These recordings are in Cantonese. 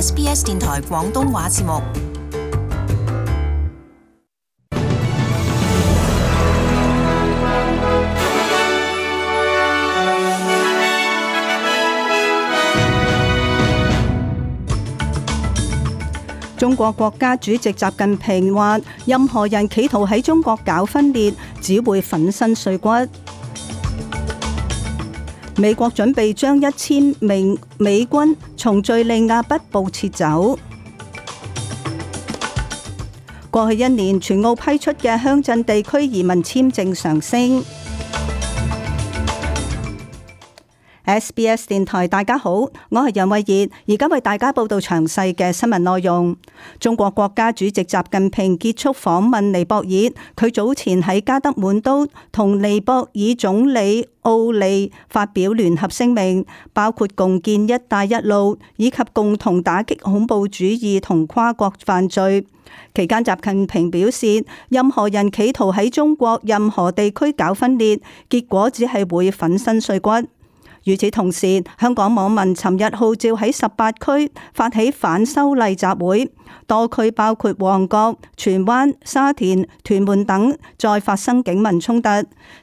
SBS 電台廣東話節目。中國國家主席習近平話：任何人企圖喺中國搞分裂，只會粉身碎骨。美國準備將1000名美軍從敘利亞北部撤走。過去1年，全澳批出嘅鄉鎮地區移民簽證上升。SBS 電台，大家好，我係楊慧儀，而家為大家報道詳細嘅新聞內容。中國國家主席習近平結束訪問尼泊爾，佢早前喺加德滿都同尼泊爾總理奧利發表聯合聲明，包括共建一帶一路以及共同打擊恐怖主義同跨國犯罪。期間，習近平表示，任何人企圖喺中國任何地區搞分裂，結果只係會粉身碎骨。與此同時，香港網民尋日號召喺18區發起反修例集會，多區包括旺角、荃灣、沙田、屯門等再發生警民衝突。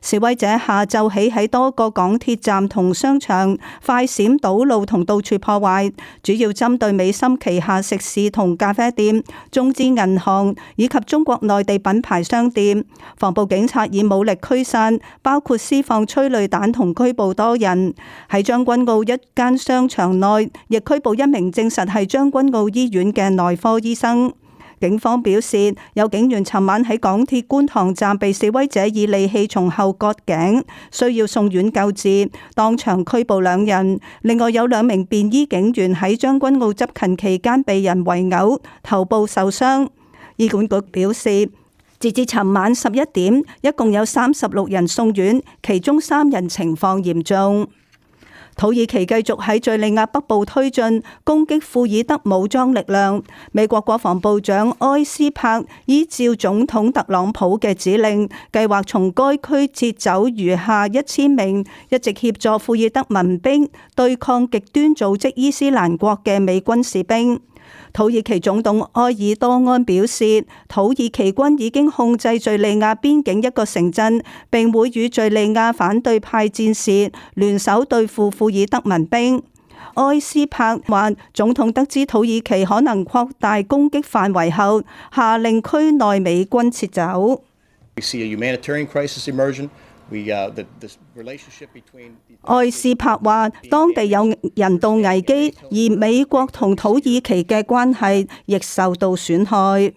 示威者下晝起喺多個港鐵站同商場快閃堵路同到處破壞，主要針對美心旗下食肆同咖啡店、中資銀行以及中國內地品牌商店。防暴警察以武力驅散，包括施放催淚彈同拘捕多人。喺將軍澳一間商場內，亦拘捕1名證實係將軍澳醫院嘅內科醫生。警方表示，有警員尋晚喺港鐵觀塘站被示威者以利器從後割頸，需要送院救治，當場拘捕2人。另外有2名便衣警員喺將軍澳執勤期間被人圍毆，頭部受傷。醫管局表示，截至尋晚11點，一共有36人送院，其中3人情況嚴重。土耳其繼續喺敘利亞北部推進攻擊庫爾德武裝力量。美國國防部長埃斯珀依照總統特朗普嘅指令，計劃從該區撤走餘下1000名一直協助庫爾德民兵對抗極端組織伊斯蘭國嘅美軍士兵。土耳其總統埃爾多安表示，土耳其軍已經控制敘利亞邊境一個城鎮，並會與敘利亞反對派戰士聯手對付庫爾德民兵。埃斯珀話，總統得知土耳其可能擴大攻擊範圍後，下令區內美軍撤走。埃斯珀話，當地有人道危機，而美國同土耳其嘅關係亦受到損害。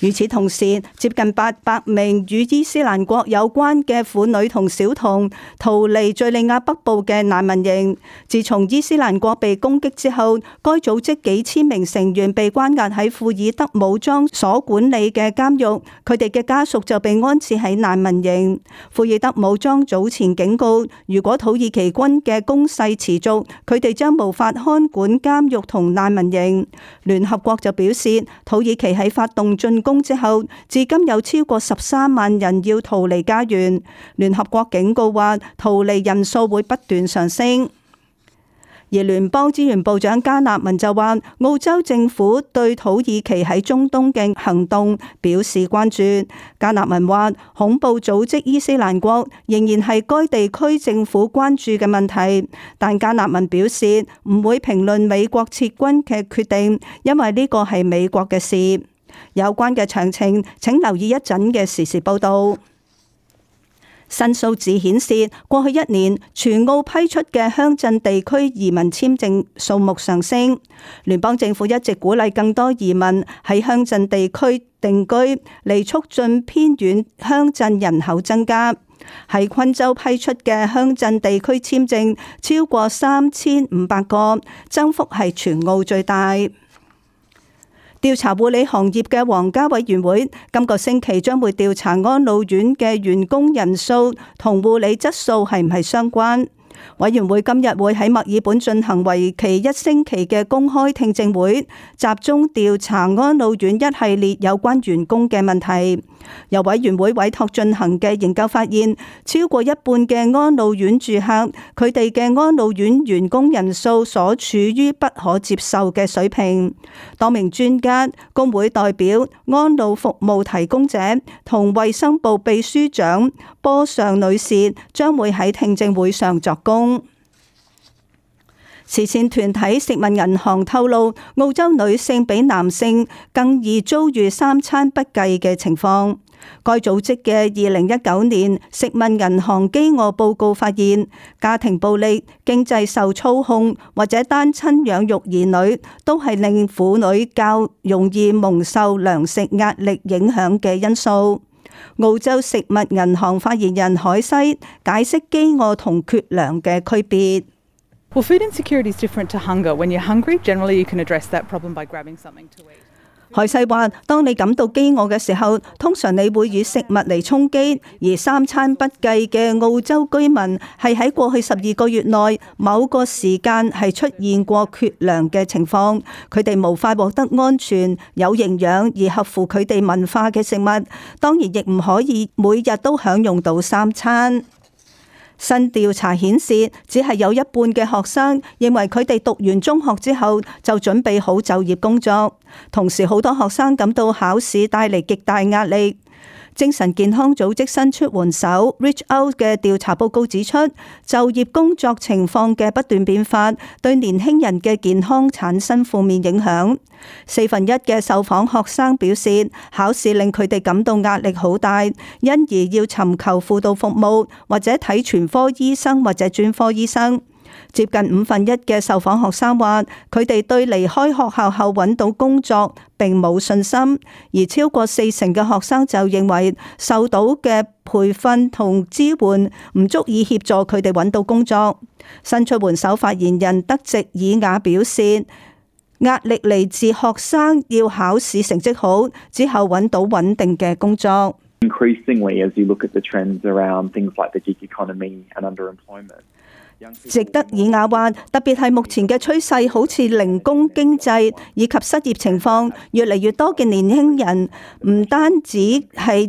與此同時，接近800名與伊斯蘭國有關嘅婦女同小童逃離敘利亞北部嘅難民營。自從伊斯蘭國被攻擊之後，該組織幾千名成員被關押喺庫爾德武裝所管理嘅監獄，佢哋嘅家屬就被安置喺難民營。庫爾德武裝早前警告，如果土耳其軍嘅攻勢持續，佢哋將無法看管監獄同難民營。聯合國就表示，土耳其喺發動進攻之後，至今有超過13萬人要逃離家園。聯合國警告話，逃離人數會不斷上升。而聯邦資源部長加納文就話，澳洲政府對土耳其喺中東嘅行動表示關注。加納文話，恐怖組織伊斯蘭國仍然係該地區政府關注嘅問題，但加納文表示唔會評論美國撤軍嘅決定，因為呢個係美國嘅事。有關嘅詳情，請留意一陣嘅時事報道。新數字顯示，過去1年全澳批出嘅鄉鎮地區移民簽證數目上升。聯邦政府一直鼓勵更多移民喺鄉鎮地區定居，嚟促進偏遠鄉鎮人口增加。喺昆州批出嘅鄉鎮地區簽證超過3500個，增幅係全澳最大。調查護理行業嘅皇家委員會今個星期將會調查安老院嘅員工人數同護理質素係唔係相關。委員會今日會喺墨爾本進行為期1星期嘅公開聽證會，集中調查安老院一系列有關員工嘅問題。由委員會委託進行嘅研究發現，超過一半嘅安老院住客，佢哋嘅安老院員工人數所處於不可接受嘅水平。多名專家、工會代表、安老服務提供者同衛生部秘書長波尚女士將會喺聽證會上作供。慈善團體食物銀行透露，澳洲女性比男性更易遭遇三餐不繼嘅情況。該組織嘅2019年食物銀行飢餓報告發現，家庭暴力、經濟受操控或者單親養育兒女，都係令婦女較容易蒙受糧食壓力影響嘅因素。澳洲食物銀行發言人海西解釋飢餓同缺糧嘅區別。Well, food insecurity is different to hunger. When you're hungry, generally you can address that problem by grabbing something to eat. 海西話：當你感到飢餓嘅時候，通常你會以食物嚟充飢，而三餐不繼嘅澳洲居民係喺過去12個月內某個時間係出現過缺糧嘅情況，佢哋無法獲得安全、有營養而合乎佢哋文化嘅食物，當然亦唔可以每日都享用到三餐。新調查顯示，只係有一半嘅學生認為佢哋讀完中學之後就準備好就業工作，同時好多學生感到考試帶嚟極大壓力。精神健康組織伸出援手 Reach Out 嘅調查報告指出，就業工作情況嘅不斷變化對年輕人嘅健康產生負面影響。1/4嘅受訪學生表示，考試令佢哋感到壓力好大，因而要尋求輔導服務或者睇全科醫生或者專科醫生。接近1/5嘅受訪學生話，佢哋對離開學校後揾到工作並冇信心，而超過40%嘅學生就認為受到嘅培訓同支援唔足以協助佢哋揾到工作。伸出援手發言人德席爾雅表示，壓力嚟自學生要考試成績好之後揾到穩定嘅工作。Increasingly, as you look at the trends around things like the gig economy and underemployment. 席德爾雅話，特別係目前嘅趨勢，好似零工經濟以及失業情況，越嚟越多嘅年輕人唔單止係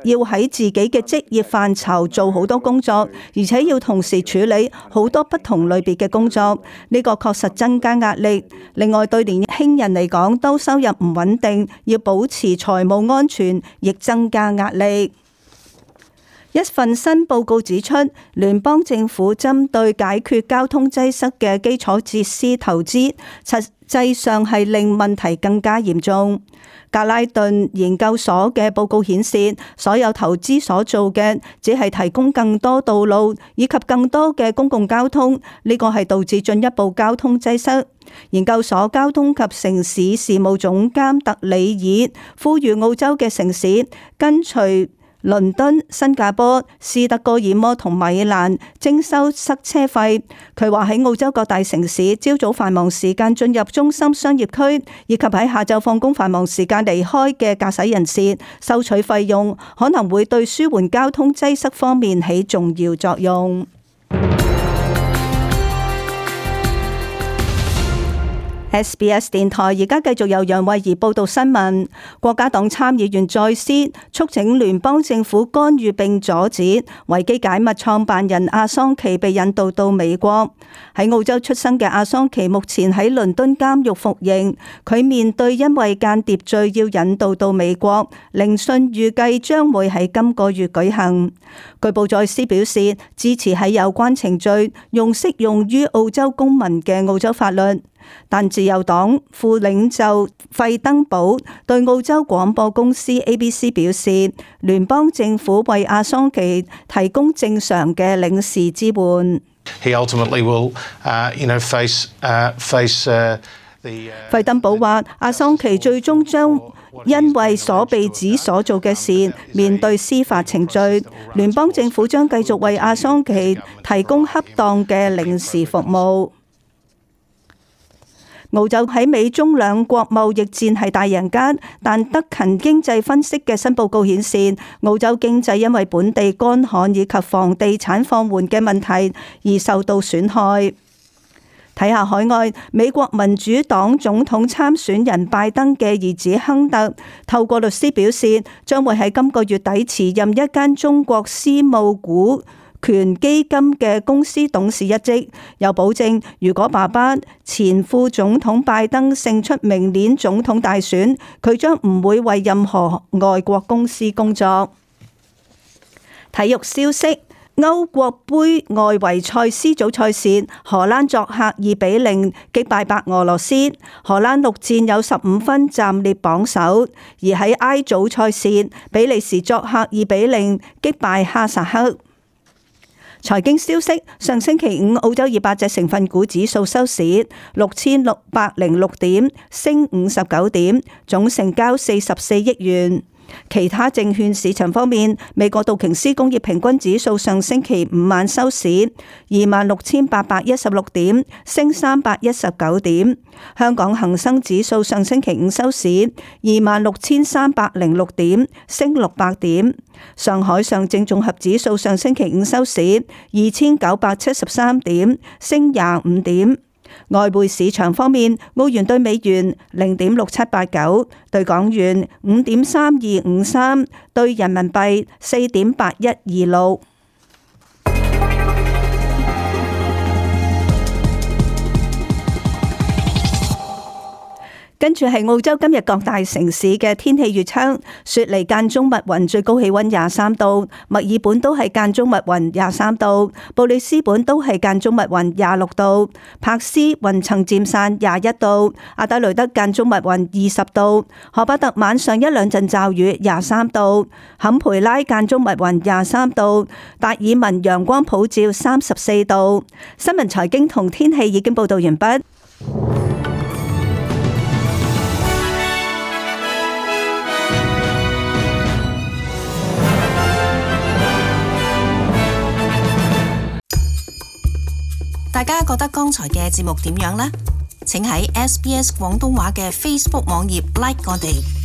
要喺自己嘅職業範疇做好多工作，而且要同時處理好多不同類別嘅工作，呢個確實增加壓力。另外，對年輕人嚟講，當收入唔穩定，要保持財務安全，亦增加壓力。一份新報告指出，聯邦政府針對解決交通擠塞嘅基礎設施投資，實際上係令問題更加嚴重。格拉頓研究所嘅報告顯示，所有投資所做嘅只係提供更多道路以及更多嘅公共交通，呢個係導致進一步交通擠塞。研究所交通及城市事務總監特里爾呼籲澳洲嘅城市跟隨倫敦、新加坡、斯德哥爾摩同米蘭徵收塞車費。佢話喺澳洲各大城市，朝早繁忙時間進入中心商業區，以及喺下晝放工繁忙時間離開嘅駕駛人士收取費用，可能會對舒緩交通擠塞方面起重要作用。SBS 電台而家繼續由楊慧儀報道新聞。國家黨參議員再斯促請聯邦政府干預並阻止維基解密創辦人阿桑奇被引渡到美國。喺澳洲出生嘅阿桑奇目前喺倫敦監獄服刑，佢面對因為間諜罪要引渡到美國，聆訊預計將會喺今個月舉行。據報再斯表示支持喺有關程序用適用於澳洲公民嘅澳洲法律。但自由黨副領袖費登堡對澳洲廣播公司 ABC 表示，聯邦政府為阿桑奇提供正常嘅領事支援。費登堡話，阿桑奇最終將因為所被指所做嘅事面對司法程序，聯邦政府將繼續為阿桑奇提供恰當嘅領事服務。澳洲喺美中兩國貿易戰係大贏家，但德勤經濟分析嘅新報告顯示，澳洲經濟因為本地乾旱以及房地產放緩嘅問題而受到損害。睇下海外，美國民主黨總統參選人拜登嘅兒子亨特透過律師表示，將會喺今個月底辭任一間中國私募股權基金嘅公司董事一職，又保證如果爸爸前副總統拜登勝出明年總統大選，佢將唔會為任何外國公司工作。體育消息。歐國杯外圍賽 C 組賽事，荷蘭作客2-0擊敗白俄羅斯，荷蘭6戰有15分，暫列榜首。而喺 I 組賽事，比利時作客2-0擊敗哈薩克。財經消息，上星期五澳洲200隻成分股指數收市6606點，升59點，總成交44億元。其他證券市場方面，美國道瓊斯工業平均指數上星期五晚收市26,816點，升319點。香港恒生指數上星期五收市26,306點，升600點。上海上證綜合指數上星期五收市2,973點，升25點。外匯市場方面，澳元兌美元0.6789，兌港元5.3253，兌人民幣4.8126。跟住係澳洲今日各大城市嘅天氣預測：雪梨間中密雲，最高氣溫23度；墨爾本都係間中密雲23度；布里斯本都係間中密雲26度；柏斯雲層漸散21度；阿德雷德間中密雲20度；荷巴特晚上一兩陣驟雨23度；坎培拉間中密雲23度；達爾文陽光普照34度。新聞財經同天氣已經報道完畢。大家覺得剛才嘅節目點樣呢？請喺SBS 廣東話嘅 Facebook 網頁 like 我哋。